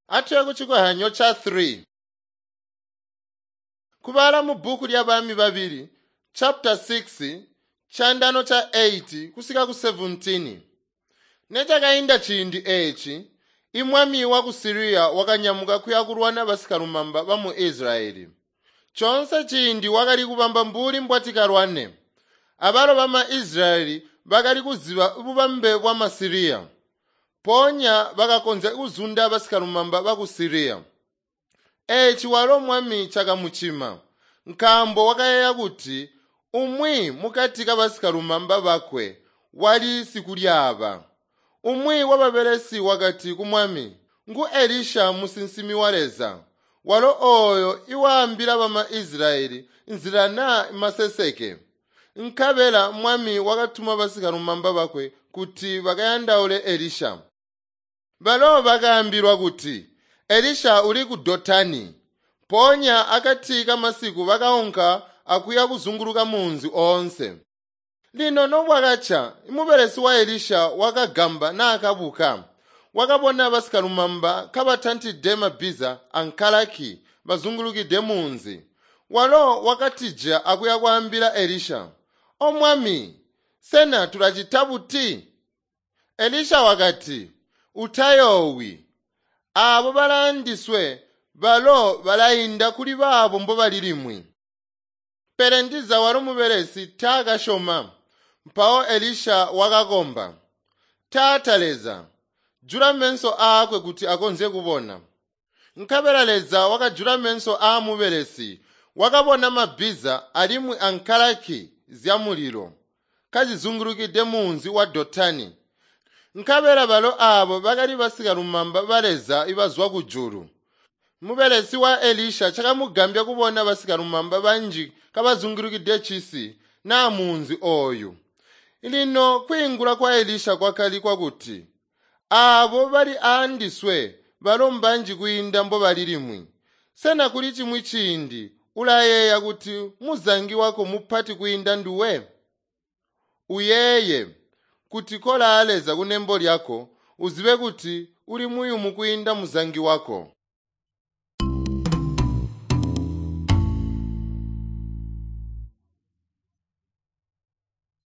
Atuye kucikohyanyo ca 3. Kubala mu bbuku lya Bami Babili, chapter 6, chandano cha 8 kusika ku 17. Nechakainda ciindi eeci, imwami wa ku Siriya wakanyamuka kuya kulwana basikalumamba bamu Israyeli. Chonse ciindi wakali kubamba mbuli mbwatikalwane. Abalo bama Israyeli bakali kuziba bubambe bwa Masiriya. Mpoonya bakakonzya kuzunda basikalumamba baku Siriya. Eeci walo mwami cakamucima, nkaambo wakayeeya kuti umwi mukati kabasikalumamba bakwe wali sikulyaaba. Umwi wababelesi wakati kumwami, ngu Elisha musinsimi wa Leza, walo ooyo iwaambila bama Israyeli nzila naa maseseke. Nkabela mwami wakatuma basikalumamba bakwe kuti bakayandaule Elisha. Balo bakaambilwa kuti, Elisha uli ku Dotani. Mpoonya akati kamasiku bakaunka akuya kuzunguluka munzi oonse. Lino nobwakaca, mubelesi wa Elisha wakagamba naakabuka. Wakabona basikalumamba kabatantide mabbiza ankalaki bazungulukide munzi. Walo wakatija akuya kwaambila Elisha, “O mwami, sena tulacita buti?” Elisha wakati, “Utayoowi. Aabo balaandiswe balo balainda kuli baabo mbobali limwi.” Pele ndiza walo mubelesi taakasyoma. Mpawo Elisha wakakomba, “Taata Leza, jula meso aakwe kuti akonzye kubona.” Nkabela Leza wakajula meso aamubelesi, wakabona mabbiza alimwi ankalaki zyamulilo kazizungulukide munzi wa Dotani. Nkabela balo aabo bakali basikalumamba ba Leza ibazwa kujulu. Mubelesi wa Elisha cakamugambya kubona basikalumamba banji kabazungulukide cisi naa munzi ooyu. Lino kwiingula kwa Elisha kwakali kwakuti, aabo bali aandiswe balo mbanji kwiinda mbobali limwi. Sena kuli cimwi ciindi ulayeeya kuti muzangi wako mupati kwiinda nduwe? Uyeeye kuti kolaa Leza kunembo lyako, uzibe kuti uli muyumu kwiinda muzangi wako.